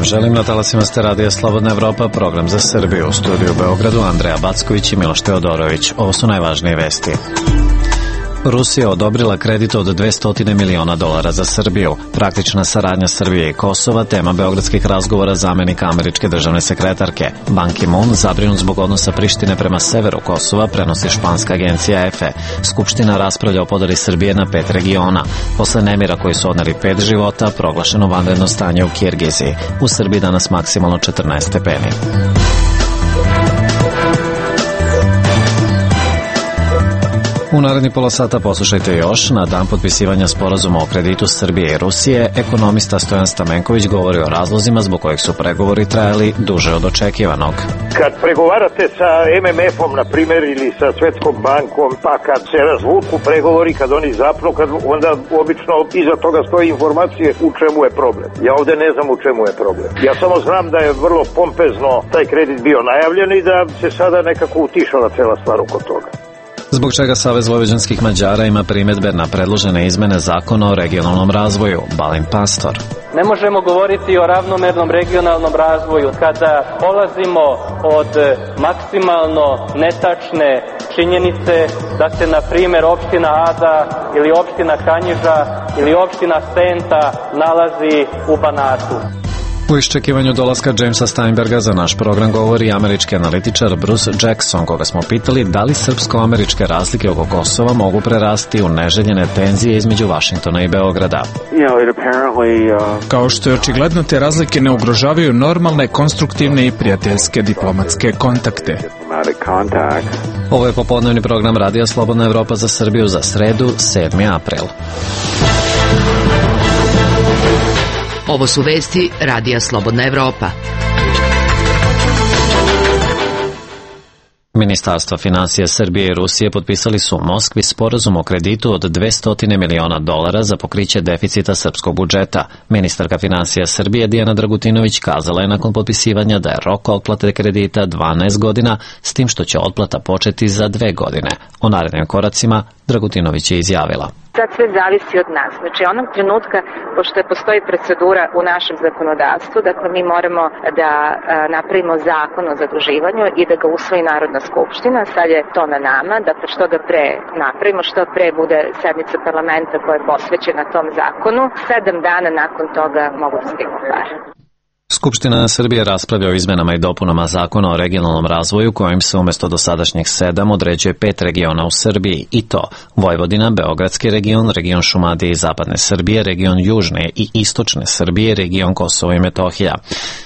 vam želim. Na talasima ste Radija Slobodna Evropa, program za Srbiju. U studiju u Beogradu Andreja Backović i Miloš Teodorović. Ovo su najvažnije vesti. Rusija odobrila kredit od $200 miliona za Srbiju. Praktična saradnja Srbije i Kosova, tema beogradskih razgovora zamenika američke državne sekretarke. Ban Ki-moon zabrinut zbog odnosa Prištine prema severu Kosova, prenosi španska agencija EFE. Skupština raspravlja o podeli Srbije na 5 regiona. Posle nemira koji su odneli 5 života, proglašeno vanredno stanje u Kirgiziji. U Srbiji danas maksimalno 14 stepeni. U naredni pola sata poslušajte još. Na dan potpisivanja sporazuma o kreditu Srbije i Rusije, ekonomista Stojan Stamenković govori o razlozima zbog kojih su pregovori trajali duže od očekivanog. Kad pregovarate sa MMF-om, na primjer, ili sa Svetskom bankom, pa kad se razvuku pregovori, kad oni zapnu, onda obično iza toga stoji informacije u čemu je problem. Ja ovde ne znam u čemu je problem. Ja samo znam da je vrlo pompezno taj kredit bio najavljen i da se sada nekako utišala cela stvar oko toga. Zbog čega Savez vojvođanskih Mađara ima primedbe na predložene izmene zakona o regionalnom razvoju. Balint Pastor. Ne možemo govoriti o ravnomernom regionalnom razvoju kada polazimo od maksimalno netačne činjenice da se, na primjer, opština Ada ili opština Kanjiža ili opština Senta nalazi u Banatu. U iščekivanju dolaska Jamesa Steinberga za naš program govori američki analitičar Bruce Jackson, koga smo pitali da li srpsko-američke razlike oko Kosova mogu prerasti u neželjene tenzije između Vašingtona i Beograda. Kao što je očigledno, te razlike ne ugrožavaju normalne, konstruktivne i prijateljske diplomatske kontakte. Ovo je popodnevni program Radija Slobodna Evropa za Srbiju za sredu, 7. april. Ovo su vesti Radija Slobodna Evropa. Ministarstva finansija Srbije i Rusije potpisali su u Moskvi sporazum o kreditu od $200 miliona za pokriće deficita srpskog budžeta. Ministarka finansija Srbije Dijana Dragutinović kazala je nakon potpisivanja da je rok otplate kredita 12 godina, s tim što će otplata početi za 2 godine. O narednim koracima Dragutinović je izjavila. Sad sve zavisi od nas. Znači, onog trenutka, pošto postoji procedura u našem zakonodavstvu, dakle, mi moramo da napravimo zakon o zaduživanju i da ga usvoji Narodna skupština. Sad je to na nama, dakle, što ga pre napravimo, što pre bude sednica parlamenta koja je posvećena tom zakonu. 7 dana nakon toga mogu da stignu pare. Skupština Srbije raspravlja o izmenama i dopunama zakona o regionalnom razvoju kojim se umjesto dosadašnjih 7 određuje 5 regiona u Srbiji, i to Vojvodina, Beogradski region, region Šumadije i Zapadne Srbije, region Južne i Istočne Srbije, region Kosovo i Metohija.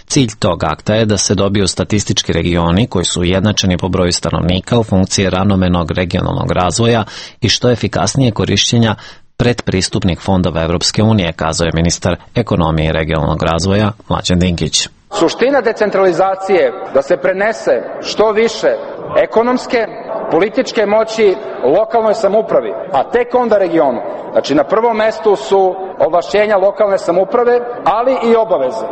Cilj tog akta je da se dobiju statistički regioni koji su ujednačeni po broju stanovnika u funkciji ravnomernog regionalnog razvoja i što efikasnije korišćenja predpristupnih fondova Evropske unije, kazao je ministar ekonomije i regionalnog razvoja Mlađan Dinkić. Suština decentralizacije je da se prenese što više ekonomske, političke moći lokalnoj samoupravi, a tek onda regionu. Znači, na prvom mestu su ovlašćenja lokalne samouprave, ali i obaveze.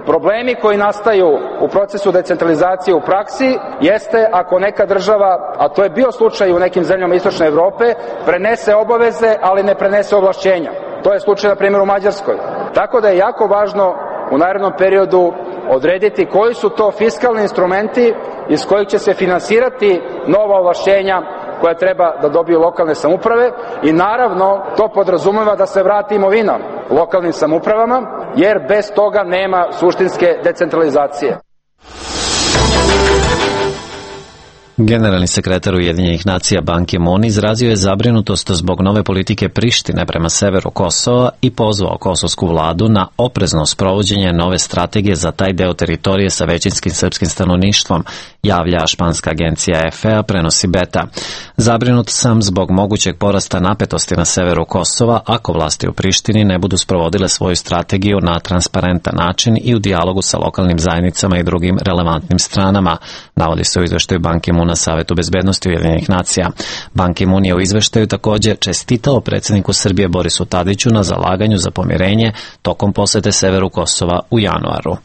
Problemi koji nastaju u procesu decentralizacije u praksi jeste ako neka država, a to je bio slučaj u nekim zemljama Istočne Evrope, prenese obaveze, ali ne prenese ovlašćenja. To je slučaj, na primjer, u Mađarskoj. Tako da je jako važno u narednom periodu odrediti koji su to fiskalni instrumenti iz kojih će se finansirati nova ovlašćenja koja treba da dobiju lokalne samouprave i naravno to podrazumeva da se vrati imovina lokalnim samoupravama, jer bez toga nema suštinske decentralizacije. Generalni sekretar Ujedinjenih nacija Ban Ki-moon izrazio je zabrinutost zbog nove politike Prištine prema severu Kosova i pozvao kosovsku vladu na oprezno sprovođenje nove strategije za taj deo teritorije sa većinskim srpskim stanovništvom, javlja španska agencija EFE, prenosi Beta. Zabrinut sam zbog mogućeg porasta napetosti na severu Kosova ako vlasti u Prištini ne budu sprovodile svoju strategiju na transparentan način i u dijalogu sa lokalnim zajednicama i drugim relevantnim stranama, navodi se u izveštaju Ban Ki-moon na Savetu bezbednosti Ujedinjenih nacija. Ban Ki-moon je u izveštaju također čestitao predsjedniku Srbije Borisu Tadiću na zalaganju za pomirenje tokom posete severu Kosova u januaru.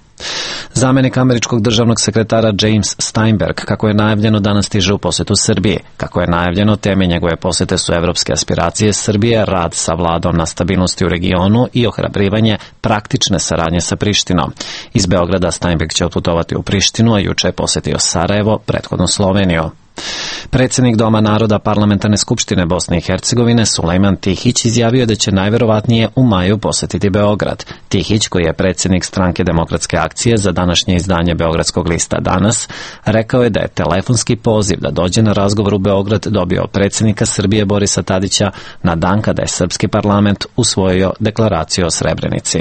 Zamenik američkog državnog sekretara James Steinberg, kako je najavljeno, danas stiže u posetu Srbiji. Kako je najavljeno, teme njegove posete su evropske aspiracije Srbije, rad sa vladom na stabilnosti u regionu i ohrabrivanje praktične saradnje sa Prištinom. Iz Beograda Steinberg će otputovati u Prištinu, a juče je posetio Sarajevo, prethodno Sloveniju. Predsjednik Doma naroda Parlamentarne skupštine Bosne i Hercegovine Sulejman Tihić izjavio da će najverovatnije u maju posetiti Beograd. Tihić, koji je predsjednik Stranke demokratske akcije za današnje izdanje Beogradskog lista Danas, rekao je da je telefonski poziv da dođe na razgovor u Beograd dobio predsjednika Srbije Borisa Tadića na dan kada je srpski parlament usvojio deklaraciju o Srebrenici.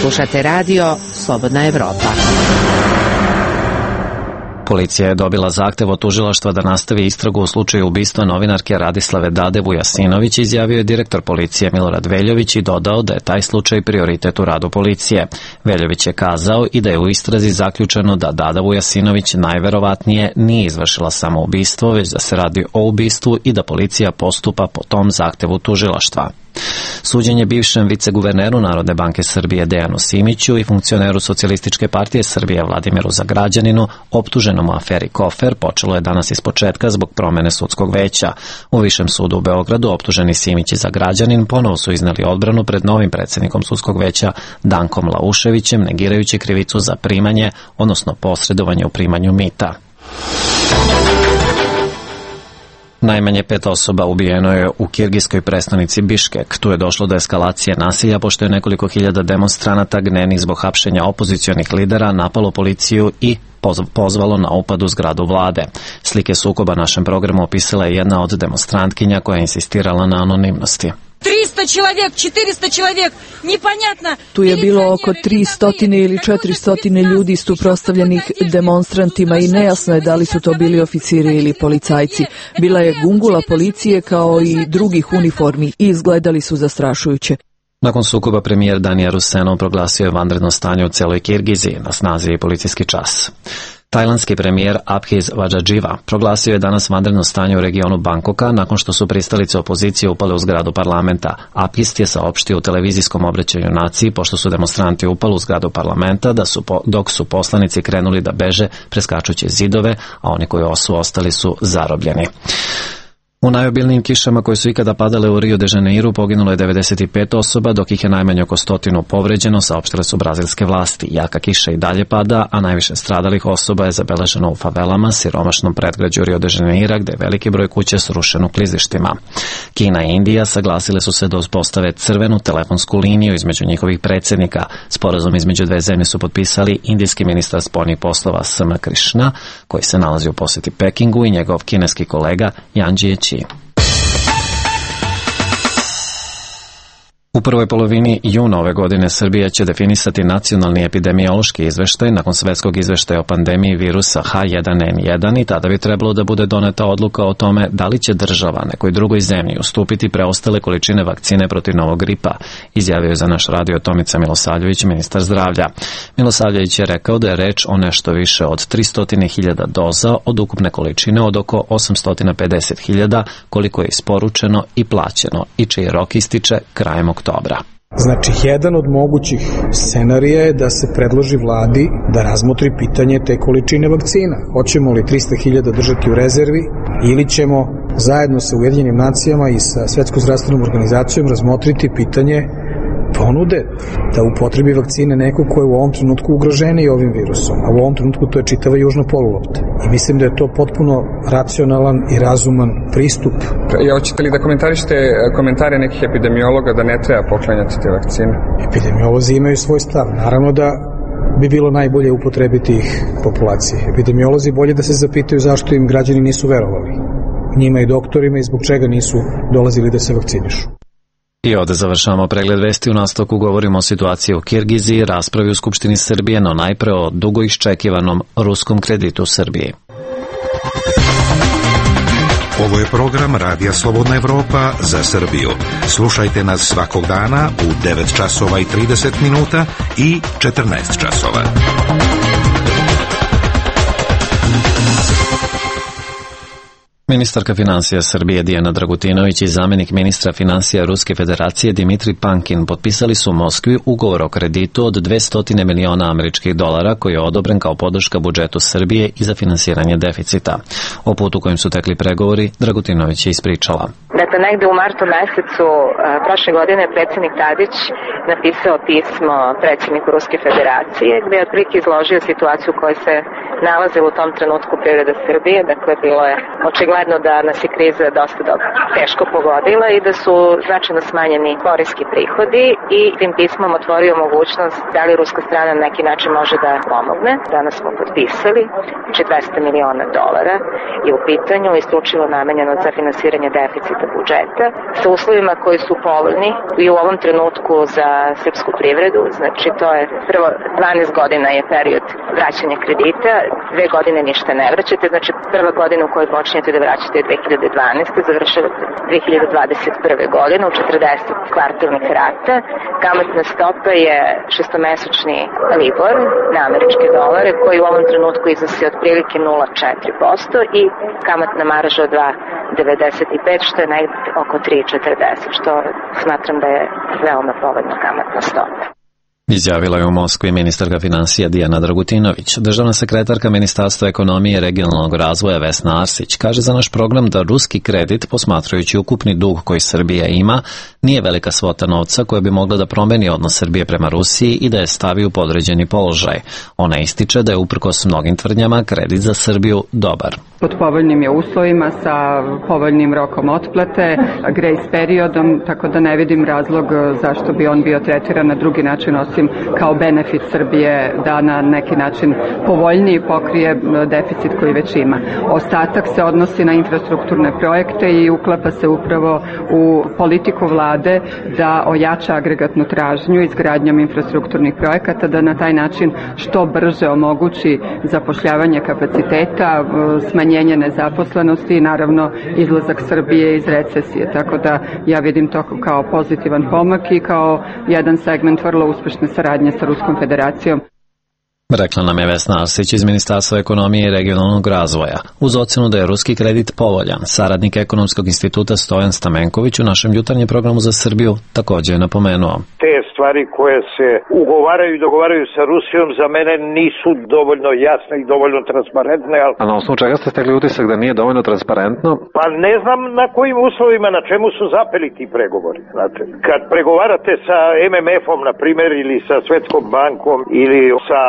Slušate radio Slobodna Evropa. Policija je dobila zahtev od tužilaštva da nastavi istragu u slučaju ubistva novinarke Radislave Dade Vujasinović, izjavio je direktor policije Milorad Veljović i dodao da je taj slučaj prioritet u radu policije. Veljović je kazao i da je u istrazi zaključeno da Dada Vujasinović najverovatnije nije izvršila samo ubistvo, već da se radi o ubistvu i da policija postupa po tom zahtevu tužilaštva. Suđenje bivšem viceguverneru Narodne banke Srbije Dejanu Simiću i funkcioneru Socijalističke partije Srbije Vladimiru Zagrađaninu, optuženom u aferi Kofer, počelo je danas ispočetka zbog promene sudskog veća. U Višem sudu u Beogradu optuženi Simić i Zagrađanin ponovo su izneli odbranu pred novim predsjednikom sudskog veća Dankom Lauševićem, negirajući krivicu za primanje, odnosno posredovanje u primanju mita. Najmanje 5 osoba ubijeno je u kirgijskoj prestonici Biškek. Tu je došlo do eskalacije nasilja, pošto je nekoliko hiljada demonstranata gnenih zbog hapšenja opozicionih lidera napalo policiju i pozvalo na upad u zgradu vlade. Slike sukoba našem programu opisala je jedna od demonstrantkinja koja je insistirala na anonimnosti. 300 человек, 400 человек, непонятно. Tu je bilo oko 300 ili 400 ljudi suprotstavljenih demonstrantima i nejasno je da li su to bili oficiri ili policajci. Bila je gungula policije kao i drugih uniformi i izgledali su zastrašujuće. Nakon sukoba premijer Danija Rusenov proglasio je vanredno stanje u celoj Kirgiziji, na snazi je policijski čas. Tajlandski premijer Abhiz Vajadživa proglasio je danas vanredno stanje u regionu Bangkoka nakon što su pristalice opozicije upale u zgradu parlamenta. Abhiz je saopštio u televizijskom obraćanju naciji pošto su demonstranti upali u zgradu parlamenta dok su poslanici krenuli da beže preskačući zidove, a oni koji su ostali su zarobljeni. U najobilnijim kišama koje su ikada padale u Rio de Janeiru poginulo je 95 osoba, dok ih je najmanje oko 100 povređeno, saopštile su brazilske vlasti. Jaka kiša i dalje pada, a najviše stradalih osoba je zabeleženo u favelama, siromašnom predgrađu Rio de Janeira, gde je veliki broj kuća srušen u klizištima. Kina i Indija saglasile su se da uspostave crvenu telefonsku liniju između njihovih predsjednika. Sporazum između dve zemlje su potpisali indijski ministar spoljnih poslova SM Krishna, koji se nalazi u posjeti Pekingu, i njegov kineski kolega Yang Jiechi. U prvoj polovini juna ove godine Srbija će definisati nacionalni epidemiološki izveštaj nakon svetskog izveštaja o pandemiji virusa H1N1 i tada bi trebalo da bude doneta odluka o tome da li će država nekoj drugoj zemlji ustupiti preostale količine vakcine protiv novog gripa, izjavio je za naš radio Tomica Milosavljević, ministar zdravlja. Milosavljević je rekao da je reč o nešto više od 300.000 doza od ukupne količine od oko 850.000 koliko je isporučeno i plaćeno i čiji rok ističe krajem oktobra. Znači, jedan od mogućih scenarija je da se predloži vladi da razmotri pitanje te količine vakcina. Hoćemo li 300.000 držati u rezervi ili ćemo zajedno sa Ujedinjenim nacijama i sa Svetskom zdravstvenom organizacijom razmotriti pitanje ponude da upotrebi vakcine neko ko je u ovom trenutku ugroženiji ovim virusom, a u ovom trenutku to je čitava južna polulopta. I mislim da je to potpuno racionalan i razuman pristup. Hoćete li da komentarišete komentare nekih epidemiologa da ne treba poklanjati te vakcine? Epidemiolozi imaju svoj stav. Naravno da bi bilo najbolje upotrebiti ih populaciji. Epidemiolozi bolje da se zapitaju zašto im građani nisu verovali. Njima i doktorima i zbog čega nisu dolazili da se vakcinišu. I ovde završavamo pregled vesti. U nastavku govorimo o situaciji u Kirgiziji, raspravi u Skupštini Srbije, no najpre o dugo iščekivanom ruskom kreditu u Srbiji. Ovo je program Radija Slobodna Evropa za Srbiju. Slušajte nas svakog dana u 9 časova i 30 minuta i 14 časova. Ministarka finansija Srbije Dijana Dragutinović i zamjenik ministra finansija Ruske federacije Dimitri Pankin potpisali su u Moskvi ugovor o kreditu od $200 miliona američkih dolara koji je odobren kao podrška budžetu Srbije i za finansiranje deficita. O putu kojim su tekli pregovori Dragutinović je ispričala. Dakle, negde u martu mesecu prošle godine predsjednik Tadić napisao pismo predsjedniku Ruske federacije gdje je otprilike izložio situaciju u kojoj se nalazila u tom trenutku privreda Srbije. Dakle, bilo je očigledno da nas je kriza dosta teško pogodila i da su značajno smanjeni poreski prihodi i tim pismom otvorio mogućnost da li ruska strana na neki način može da pomogne. Danas smo potpisali, znači $200 miliona i u pitanju isključivo namenjeno za finansiranje deficita budžeta sa uslovima koji su povoljni i u ovom trenutku za srpsku privredu. Znači to je prvo 12 godina je period vraćanja kredita, 2 godine ništa ne vraćate, znači prva godina u kojoj počinjete da vraćate je 2012. završavate 2021. godine u 40 kvartalnih rata. Kamatna stopa je šestomesečni libor na američke dolare koji u ovom trenutku iznosi otprilike 0,4% i kamatna marža od 2,95 što je negdje oko 3,40 što smatram da je veoma povoljna kamatna stopa. Izjavila je u Moskvi ministarka finansija Dijana Dragutinović. Državna sekretarka Ministarstva ekonomije i regionalnog razvoja Vesna Arsić kaže za naš program da ruski kredit, posmatrajući ukupni dug koji Srbija ima, nije velika svota novca koja bi mogla da promeni odnos Srbije prema Rusiji i da je stavi u podređeni položaj. Ona ističe da je uprkos mnogim tvrdnjama kredit za Srbiju dobar. Pod povoljnim je uslovima sa povoljnim rokom otplate, grace periodom, tako da ne vidim razlog zašto bi on bio tretiran na drugi način osim kao benefit Srbije da na neki način povoljniji pokrije deficit koji već ima. Ostatak se odnosi na infrastrukturne projekte i uklapa se upravo u politiku vlade da ojača agregatnu tražnju izgradnjom infrastrukturnih projekata, da na taj način što brže omogući zapošljavanje kapaciteta, smanjenje nezaposlenosti i naravno izlazak Srbije iz recesije. Tako da ja vidim to kao pozitivan pomak i kao jedan segment vrlo uspešne saradnje sa Ruskom federacijom. Rekla nam je Vesna Arsić iz Ministarstva ekonomije i regionalnog razvoja. Uz ocenu da je ruski kredit povoljan, saradnik Ekonomskog instituta Stojan Stamenković u našem jutarnjem programu za Srbiju također je napomenuo. Te stvari koje se ugovaraju i dogovaraju sa Rusijom za mene nisu dovoljno jasne i dovoljno transparentne. A na osnovu čega ste stekli utisak da nije dovoljno transparentno? Pa ne znam na kojim uslovima, na čemu su zapeli ti pregovori. Znate, kad pregovarate sa MMF-om, na primjer, ili sa Svetskom bankom, ili sa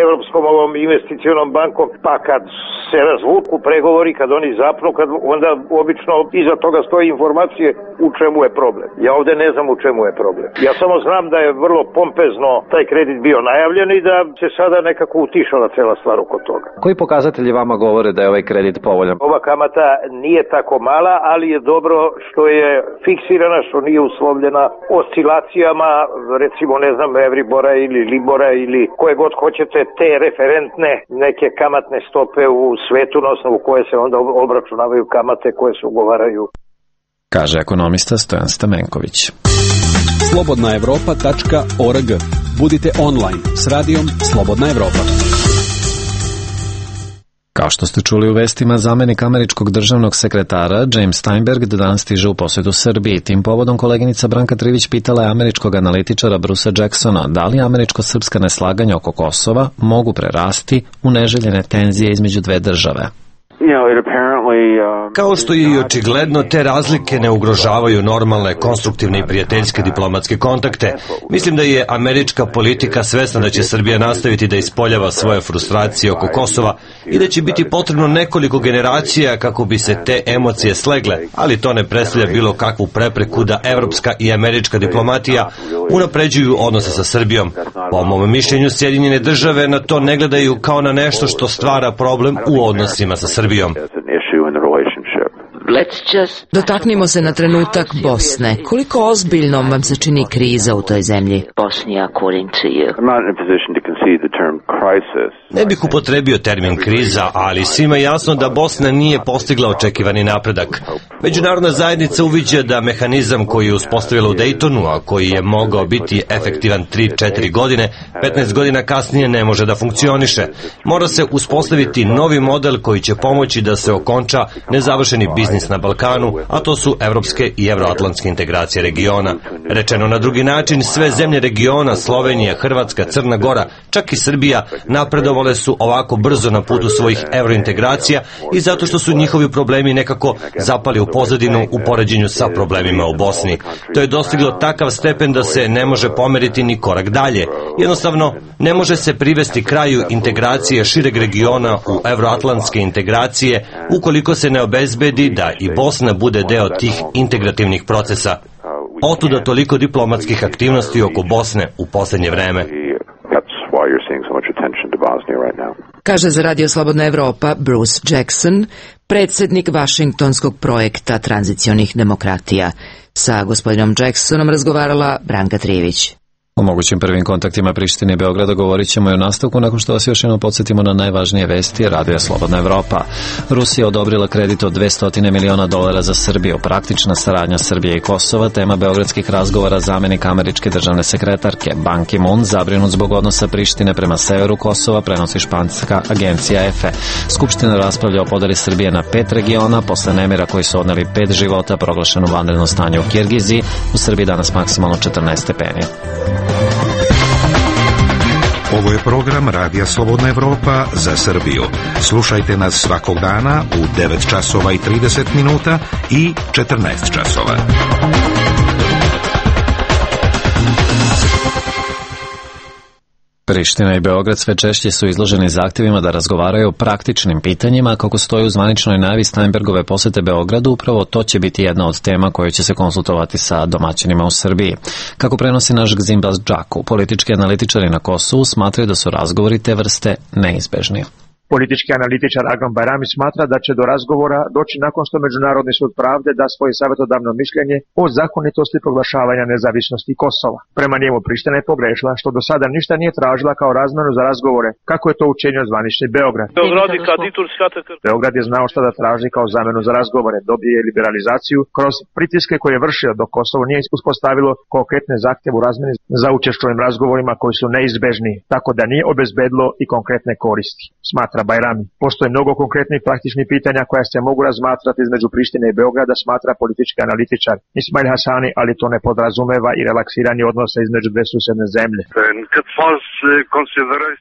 Evropskom ovom investicionom bankom, pa kad se razvuku pregovori, kad oni zapnu, onda obično iza toga stoji informacije u čemu je problem. Ja ovdje ne znam u čemu je problem. Ja samo znam da je vrlo pompezno taj kredit bio najavljen i da se sada nekako utišala cela stvar oko toga. Koji pokazatelji vama govore da je ovaj kredit povoljan? Ova kamata nije tako mala, ali je dobro što je fiksirana, što nije uslovljena oscilacijama, recimo ne znam, Euribora ili Libora ili koje god hoćete, te referentne neke kamatne stope u svetu na osnovu koje se onda obračunavaju kamate koje se ugovaraju. Kaže ekonomista Stojan Stamenković. Slobodnaevropa.org. Budite online s radijom Slobodna Evropa. Kao što ste čuli u vestima, zamjenik američkog državnog sekretara James Steinberg danas stiže u posjetu Srbiji. Tim povodom koleginica Branka Trivić pitala je američkog analitičara Brusa Jacksona da li američko-srpska neslaganja oko Kosova mogu prerasti u neželjene tenzije između dve države. Kao što je i očigledno, te razlike ne ugrožavaju normalne, konstruktivne i prijateljske diplomatske kontakte. Mislim da je američka politika svesna da će Srbija nastaviti da ispoljava svoje frustracije oko Kosova i da će biti potrebno nekoliko generacija kako bi se te emocije slegle, ali to ne predstavlja bilo kakvu prepreku da evropska i američka diplomatija unapređuju odnose sa Srbijom. Po mom mišljenju, Sjedinjene države na to ne gledaju kao na nešto što stvara problem u odnosima sa Srbijom. Dotaknimo se na trenutak Bosne. Koliko ozbiljnom vam se čini kriza u toj zemlji? Ne bih upotrebio termin kriza, ali svima je jasno da Bosna nije postigla očekivani napredak. Međunarodna zajednica uviđa da mehanizam koji je uspostavila u Dejtonu, a koji je mogao biti efektivan 3-4 godine, 15 godina kasnije ne može da funkcioniše. Mora se uspostaviti novi model koji će pomoći da se okonča nezavršeni biznis na Balkanu, a to su evropske i evroatlantske integracije regiona. Rečeno na drugi način, sve zemlje regiona, Slovenija, Hrvatska, Crna Gora, čak i Srbija, napredovale su ovako brzo na putu svojih evrointegracija i zato što su njihovi problemi nekako zapali u pozadinu u poređenju sa problemima u Bosni. To je dostiglo takav stepen da se ne može pomeriti ni korak dalje. Jednostavno, ne može se privesti kraju integracije šireg regiona u evroatlantske integracije ukoliko se ne obezbedi da i Bosna bude deo tih integrativnih procesa. Otuda toliko diplomatskih aktivnosti oko Bosne u posljednje vreme. Kaže za Radio Slobodna Evropa Bruce Jackson, predsjednik Vašingtonskog projekta tranzicionih demokratija. Sa gospodinom Jacksonom razgovarala Branka Trivić. O mogućim prvim kontaktima Prištine i Beograda govorit ćemo i u nastavku nakon što vas još jednom podsjetimo na najvažnije vesti Radio Slobodna Evropa. Rusija odobrila kredit od $200 miliona za Srbiju. Praktična saradnja Srbije i Kosova, tema beogradskih razgovora zamenik američke državne sekretarke. Ban Ki-moon zabrinut zbog odnosa Prištine prema severu Kosova, prenosi španska agencija EFE. Skupština raspravlja o podeli Srbije na 5 regiona, posle nemira koji su odneli 5 života, proglašeno vanredno stanje u Kirgiziji. U Srbiji danas maksimalno 14 stepeni. Ovo je program Radija Slobodna Evropa za Srbiju. Slušajte nas svakog dana u 9 časova i 30 minuta i 14 časova. Priština i Beograd sve češće su izloženi zahtjevima da razgovaraju o praktičnim pitanjima, kako stoji u zvaničnoj najavi Steinbergove posete Beogradu. Upravo to će biti jedna od tema koje će se konsultovati sa domaćinima u Srbiji. Kako prenosi naš Gzimbaz Džaku, politički analitičari na Kosovu smatraju da su razgovori te vrste neizbežni. Politički analitičar Agam Bajrami smatra da će do razgovora doći nakon što Međunarodni sud pravde da svoje savjetodavno mišljenje o zakonitosti proglašavanja nezavisnosti Kosova. Prema njemu Priština je pogrešila što do sada ništa nije tražila kao razmenu za razgovore, kako je to učinio zvanični Beograd. Beograd je znao šta da traži kao zamenu za razgovore, dobije liberalizaciju kroz pritiske koje je vršio dok Kosovo nije uspostavilo konkretne zahtjeve u razmeni za učešćovim razgovorima koji su neizbežni, tako da nije obezbedilo i konkretne koristi. Smatra Bajrami. Postoje mnogo konkretnih praktičnih pitanja koja se mogu razmatrati između Prištine i Beograda, smatra politički analitičar Ismail Hasani, ali to ne podrazumeva i relaksiranje odnosa između dve susedne zemlje.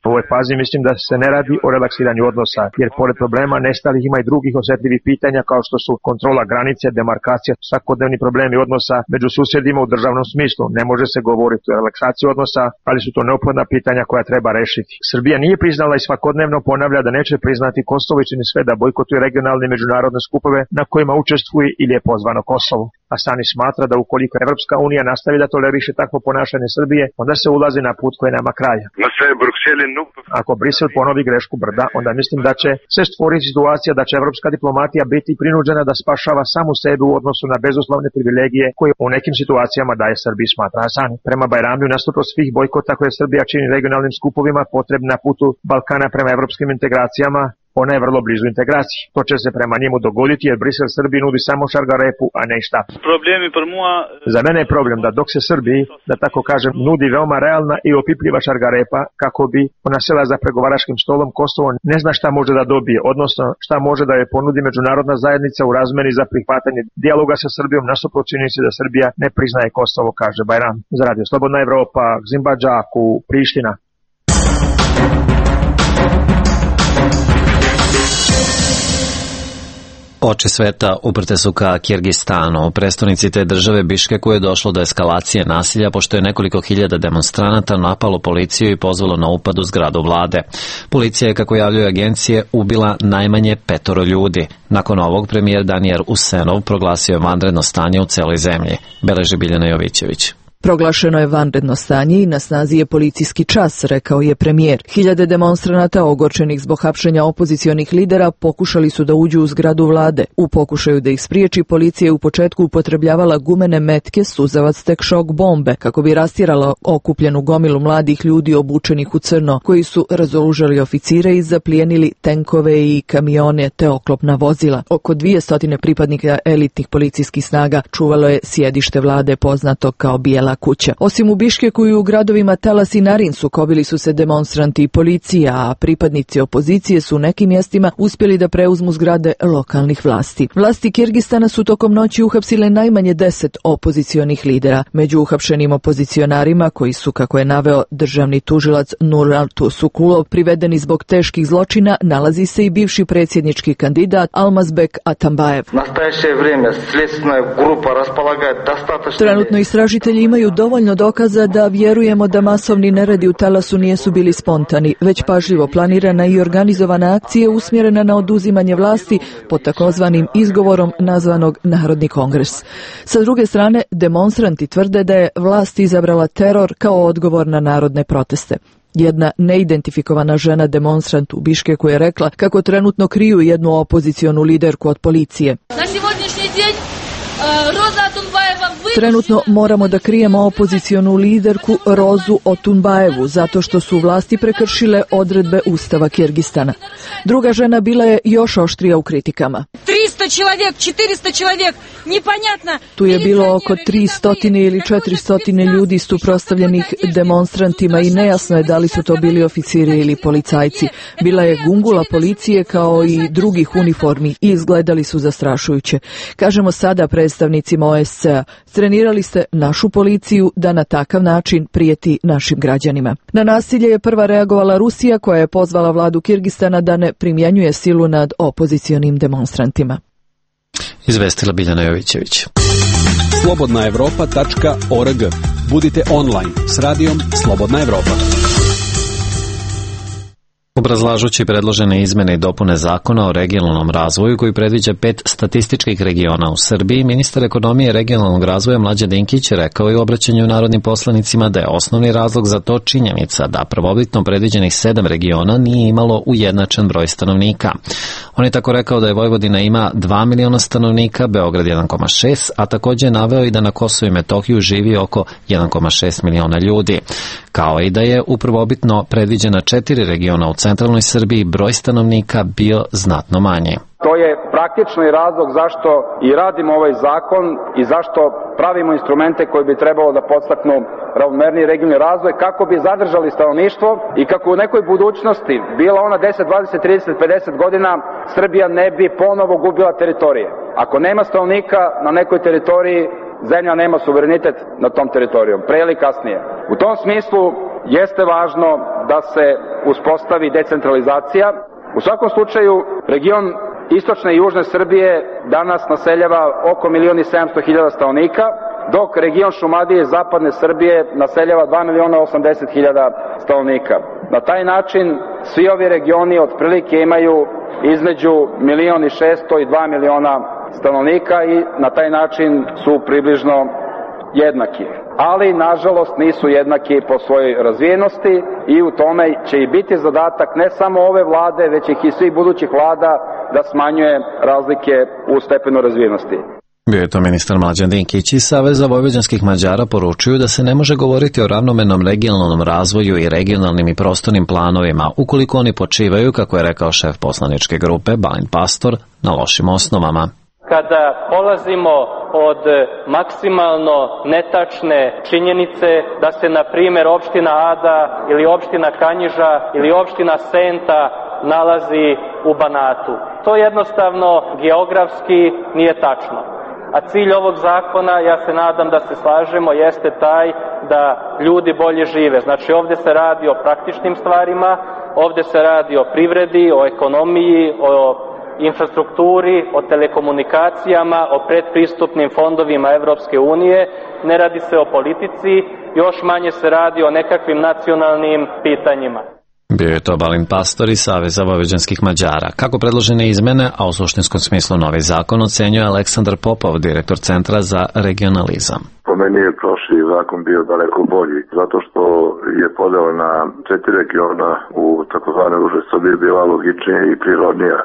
U ovoj fazi mislim da se ne radi o relaksiranju odnosa, jer pored problema nestalih ima i drugih osjetljivih pitanja kao što su kontrola granice, demarkacija, svakodnevni problemi odnosa među susjedima u državnom smislu. Ne može se govoriti o relaksaciji odnosa, ali su to neophodna pitanja koja treba rešiti. Srbija nije priznala i svakodnevno ponavlja da neće priznati Kosovo i čini sve da bojkotuje regionalne i međunarodne skupove na kojima učestvuje ili je pozvano Kosovo. Asani smatra da ukoliko Evropska unija nastavi da toleriše takvo ponašanje Srbije, onda se ulazi na put koji nema kraja. Ako Brisel ponovi grešku brda, onda mislim da će se stvoriti situacija da će evropska diplomatija biti prinuđena da spašava samu sebe u odnosu na bezuslovne privilegije koje u nekim situacijama daje Srbiji, smatra Asani. Prema Bajramiju, nasuprot svih bojkota koje Srbija čini regionalnim skupovima potrebni na putu Balkana prema evropskim integracijama, ona je vrlo blizu integraciji. To će se prema njemu dogoditi jer Brisel Srbiji nudi samo šargarepu, a ne šta. Za mene je problem da dok se Srbiji, da tako kažem, nudi veoma realna i opipljiva šargarepa kako bi ona sela za pregovaračkim stolom, Kosovo ne zna šta može da dobije, odnosno šta može da je ponudi međunarodna zajednica u razmeni za prihvatanje dijaloga sa Srbijom, nasuprot činjenici da Srbija ne priznaje Kosovo, kaže Bajram. Za Radio Slobodna Evropa, Gzimba Džaku, Priština. Oči sveta uprte su ka Kirgistanu. U prestonici te države Biškeku je došlo do eskalacije nasilja pošto je nekoliko hiljada demonstranata napalo policiju i pozvalo na upad u zgradu vlade. Policija je, kako javljaju agencije, ubila najmanje 5 ljudi. Nakon ovog premijer Daniel Usenov proglasio je vanredno stanje u celoj zemlji, beleži Biljana Jovićević. Proglašeno je vanredno stanje i na snazi je policijski čas, rekao je premijer. Hiljade demonstranata ogorčenih zbog hapšenja opozicionih lidera pokušali su da uđu u zgradu vlade. U pokušaju da ih spriječi, policija je u početku upotrebljavala gumene metke, suzavac tek šok bombe, kako bi rastjerala okupljenu gomilu mladih ljudi obučenih u crno, koji su razoružali oficire i zaplijenili tenkove i kamione te oklopna vozila. Oko 200 pripadnika elitnih policijskih snaga čuvalo je sjedište vlade poznato kao Bijela kuća. Osim u Biškeku i u gradovima Talas i Narin sukobili su se demonstranti i policija, a pripadnici opozicije su u nekim mjestima uspjeli da preuzmu zgrade lokalnih vlasti. Vlasti Kirgistana su tokom noći uhapsile najmanje 10 opozicionih lidera. Među uhapšenim opozicionarima, koji su, kako je naveo državni tužilac Nuraltu Sukulov, privedeni zbog teških zločina, nalazi se i bivši predsjednički kandidat Almazbek Atambajev. Trenutno istražitelji imaju dovoljno dokaza da vjerujemo da masovni neredi u Talasu nisu bili spontani, već pažljivo planirana i organizovana akcija usmjerena na oduzimanje vlasti pod takozvanim izgovorom nazvanog Narodni kongres. Sa druge strane, demonstranti tvrde da je vlast izabrala teror kao odgovor na narodne proteste. Jedna neidentifikovana žena demonstrant u Biškeku je rekla kako trenutno kriju jednu opozicionu liderku od policije. Trenutno moramo da krijemo opozicionu liderku Rozu Otunbajevu zato što su vlasti prekršile odredbe Ustava Kirgistana. Druga žena bila je još oštrija u kritikama. 300 человек, 400 человек, непонятно. Tu je bilo oko 300 ili 400 ljudi suprotstavljenih demonstrantima i nejasno je da li su to bili oficiri ili policajci. Bila je gungula policije kao i drugih uniformi i izgledali su zastrašujuće. Kažemo sada predstavnicima OSCE-a, trenirali ste našu policiju da na takav način prijeti našim građanima. Na nasilje je prva reagovala Rusija, koja je pozvala vladu Kirgistana da ne primjenjuje silu nad opozicionim demonstrantima. Izvestila Biljana Jovićević. Slobodnaevropa.org. Budite online s radijom Slobodna Evropa. Obrazlažući predložene izmene i dopune zakona o regionalnom razvoju koji predviđa 5 statističkih regiona u Srbiji, ministar ekonomije i regionalnog razvoja Mlađan Dinkić rekao i u obraćanju narodnim poslanicima da je osnovni razlog za to činjenica da prvobitno predviđenih 7 regiona nije imalo ujednačen broj stanovnika. On je tako rekao da je Vojvodina ima 2 miliona stanovnika, Beograd 1,6, a također je naveo i da na Kosovu i Metohiju živi oko 1,6 miliona ljudi. Kao i da je u prvobitno predviđena 4 regiona u centralnoj Srbiji broj stanovnika bio znatno manji. To je praktično i razlog zašto i radimo ovaj zakon i zašto pravimo instrumente koji bi trebalo da podstaknu ravnomerniji regionalni razvoj kako bi zadržali stanovništvo i kako u nekoj budućnosti, bila ona 10, 20, 30, 50 godina, Srbija ne bi ponovo gubila teritorije. Ako nema stanovnika na nekoj teritoriji, zemlja nema suverenitet nad tom teritorijom, pre ili kasnije. U tom smislu jeste važno da se uspostavi decentralizacija. U svakom slučaju, region istočne i južne Srbije danas naseljava oko 1.700.000 stanovnika, dok region Šumadije i zapadne Srbije naseljava 2.080.000 stanovnika. Na taj način svi ovi regioni otprilike imaju između 1.600.000 i 2 miliona stanovnika i na taj način su približno jednaki. Ali, nažalost, nisu jednaki po svojoj razvijenosti i u tome će i biti zadatak ne samo ove vlade, već i svih budućih vlada da smanjuje razlike u stepenu razvijenosti. Bio je to ministar Mlađan Dinkić iz Saveza vojvođanskih Mađara poručuju da se ne može govoriti o ravnomernom regionalnom razvoju i regionalnim i prostornim planovima ukoliko oni počivaju, kako je rekao šef poslaničke grupe Balint Pastor, na lošim osnovama. Kada polazimo od maksimalno netačne činjenice da se, na primjer, opština Ada ili opština Kanjiža ili opština Senta nalazi u Banatu. To jednostavno geografski nije tačno. A cilj ovog zakona, ja se nadam da se slažemo, jeste taj da ljudi bolje žive. Znači, ovdje se radi o praktičnim stvarima, ovdje se radi o privredi, o ekonomiji, o infrastrukturi, o telekomunikacijama, o predpristupnim fondovima Evropske unije, ne radi se o politici, još manje se radi o nekakvim nacionalnim pitanjima. Bio je to Balint Pastor iz Saveza vojvođanskih Mađara. Kako predložene izmene, a u suštinskom smislu novi zakon, ocenjuje Aleksandar Popov, direktor Centra za regionalizam. Po meni je prošli zakon bio daleko bolji, zato što je podela na 4 regiona u takozvane uže Srbije bila logičnija i prirodnija.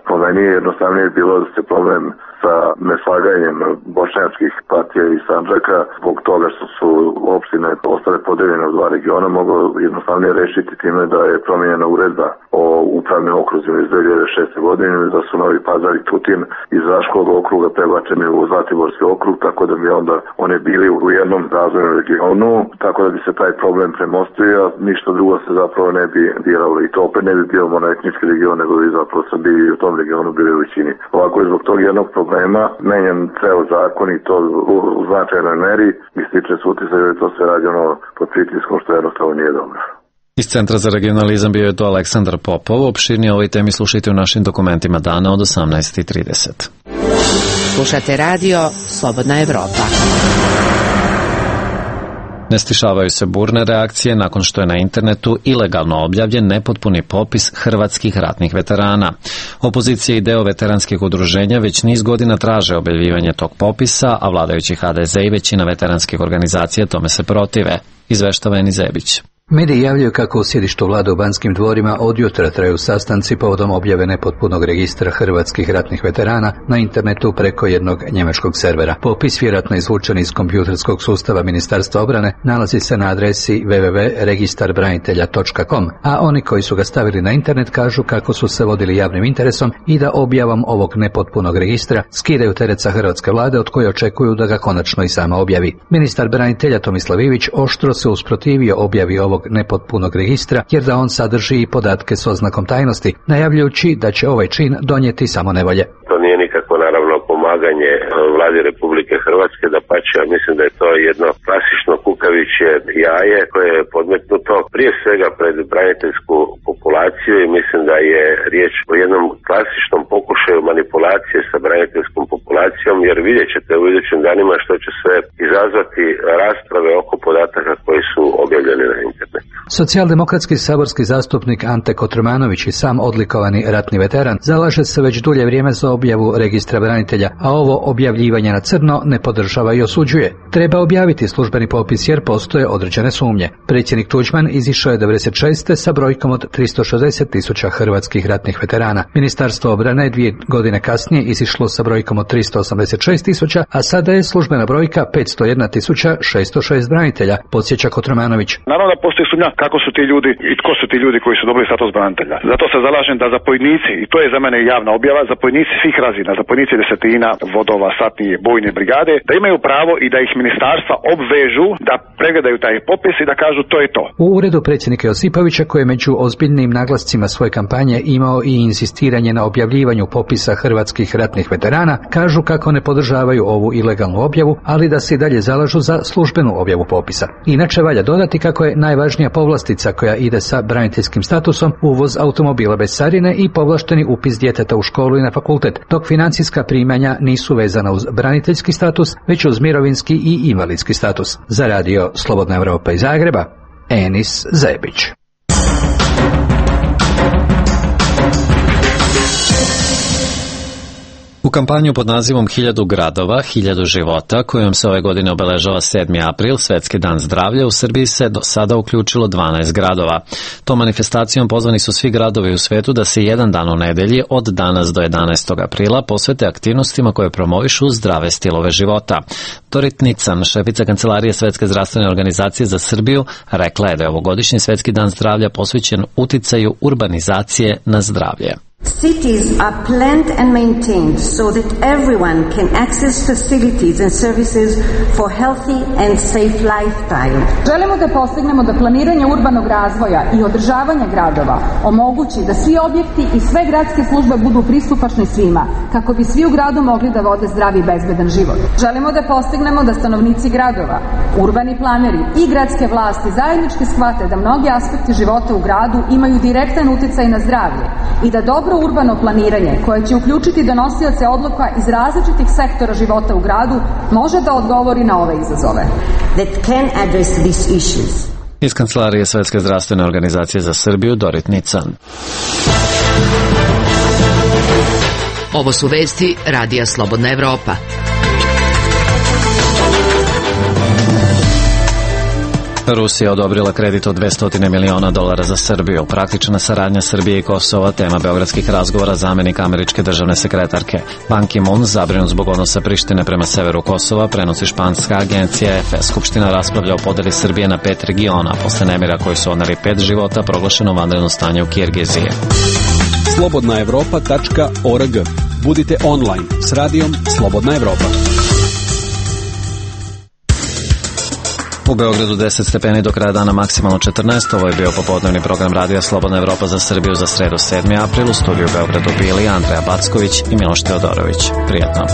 Po meni je jednostavnije bilo da se problem sa neslaganjem bošnjačkih partija i Sandžaka zbog toga što su opštine ostale podeljene u 2 regiona moglo jednostavnije rešiti time da je promenjena uredba o upravnim okruzima iz 2006. godine, da su Novi Pazar i Tutin iz Raškog okruga prebačeni u Zlatiborski okrug, tako da bi onda one bili u jednom razvojnom regionu, tako da bi se taj problem premostio, a ništa drugo se zapravo ne bi diralo i to opet ne bi bio monoetnički region, nego bi zapravo Srbiji u tom regionu bili u većini. Ovako je zbog tog jednog problema menjan ceo zakon i to u značajnoj meri i stiče se utisak da je to sve rađeno pod pritiskom, što jednostavno nije dobro. Iz Centra za regionalizam bio je to Aleksandar Popov. Opširnije o ovoj temi slušajte u našim dokumentima dana od 18:30. Slušate radio Slobodna Evropa. Ne stišavaju se burne reakcije nakon što je na internetu ilegalno objavljen nepotpuni popis hrvatskih ratnih veterana. Opozicija i deo veteranskih udruženja već niz godina traže objavljivanje tog popisa, a vladajući HDZ i većina veteranskih organizacija tome se protive, izveštava Eni Zebić. Mediji javljaju kako u sjedištu vlade u Banskim dvorima od jutra traju sastanci povodom objave nepotpunog registra hrvatskih ratnih veterana na internetu preko jednog njemačkog servera. Popis, vjerojatno izvučen iz kompjuterskog sustava Ministarstva obrane, nalazi se na adresi www.registarbranitelja.com, a oni koji su ga stavili na internet kažu kako su se vodili javnim interesom i da objavom ovog nepotpunog registra skidaju teret sa hrvatske vlade od koje očekuju da ga konačno i sama objavi. Ministar branitelja Tomislav Ivić oštro se usprotivio objavi ovog nepotpunog registra, jer da on sadrži i podatke s oznakom tajnosti, najavljujući da će ovaj čin donijeti samo nevolje. To nije nikako naravno pomaganje vladi Republike Hrvatske, dapače, ja mislim da je to jedno klasično kukavičje jaje koje je podmetnuto prije svega pred braniteljsku populaciju i mislim da je riječ o jednom klasičnom pokušaju manipulacije sa braniteljskom populacijom, jer vidjet ćete u idućim danima što će sve izazvati rasprave oko podataka koji su objavljeni na internetu. Socijaldemokratski saborski zastupnik Ante Kotromanović i sam odlikovani ratni veteran zalaže se već dulje vrijeme za objavu registra branitelja, a ovo objavljivanje na crno ne podržava i osuđuje. Treba objaviti službeni popis jer postoje određene sumnje. Predsjednik Tuđman izišao je 96. sa brojkom od 360.000 hrvatskih ratnih veterana. Ministarstvo obrane 2 godine kasnije izišlo sa brojkom od 386.000, a sada je službena brojka 501.606 branitelja, podsjeća Kotromanović. Naravno da postoji sumnja kako su ti ljudi i tko su ti ljudi koji su dobili status branitelja. Zato se zalažem da zapovjednici, i to je za mene javna objava, zapovjednici svih razina, zapovjednici desetina, vodova, satnije, bojne brigade, da imaju pravo i da ih ministarstva obvežu da pregledaju taj popis i da kažu to je to. U uredu predsjednika Josipovića, koji je među ozbiljnim naglascima svoje kampanje imao i insistiranje na objavljivanju popisa hrvatskih ratnih veterana, kažu kako ne podržavaju ovu ilegalnu objavu, ali da se i dalje zalažu za službenu objavu popisa. Inače valja dodati kako je najvažnija povlastica koja ide sa braniteljskim statusom uvoz automobila bez carine i povlašteni upis djeteta u školu i na fakultet, dok financijska primanja nisu vezana uz braniteljski status, već uz mirovinski i invalidski status. Za radio Slobodna Evropa iz Zagreba, Enis Zebić. U kampanju pod nazivom 1000 gradova, 1000 života, kojom se ove godine obeležava 7. april, Svetski dan zdravlja, u Srbiji se do sada uključilo 12 gradova. Tom manifestacijom pozvani su svi gradovi u svetu da se jedan dan u nedelji od danas do 11. aprila posvete aktivnostima koje promovišu zdrave stilove života. Dorit Nican, šefica Kancelarije Svetske zdravstvene organizacije za Srbiju, rekla je da je ovogodišnji Svetski dan zdravlja posvećen uticaju urbanizacije na zdravlje. Cities are planned and maintained so that everyone can access facilities and services for healthy and safe lifestyle. Želimo da postignemo da planiranje urbanog razvoja i održavanja gradova omogući da svi objekti i sve gradske službe budu pristupačni svima, kako bi svi u gradu mogli da vode zdravi i bezbedan život. Želimo da postignemo da stanovnici gradova, urbani planeri i gradske vlasti zajednički shvate da mnogi aspekti života u gradu imaju direktan uticaj na zdravlje i da dobro urbano planiranje, koje će uključiti donosioce odluka iz različitih sektora života u gradu, može da odgovori na ove izazove. That can address these issues. Iz Kancelarije Svetske zdravstvene organizacije za Srbiju, Dorit Nican. Ovo su vesti Radija Slobodna Evropa. Rusija odobrila kredit od $200 miliona za Srbiju. Praktična saradnja Srbije i Kosova, tema beogradskih razgovora zamenik američke državne sekretarke. Ban Ki-moon zabrinut zbog odnosa Prištine prema severu Kosova, prenosi španska agencija EFE. Skupština raspravlja o podeli Srbije na 5 regiona. Posle nemira koji su odneli 5 života, proglašeno vanredno stanje u Kirgiziji. slobodnaevropa.org. Budite online s radijom Slobodna Evropa. U Beogradu 10 stepeni, do kraja dana maksimalno 14. Ovo je bio popodnevni program radija Slobodna Evropa za Srbiju za sredu 7. april. U studiju u Beogradu bili Andreja Backović i Miloš Teodorović. Prijatno.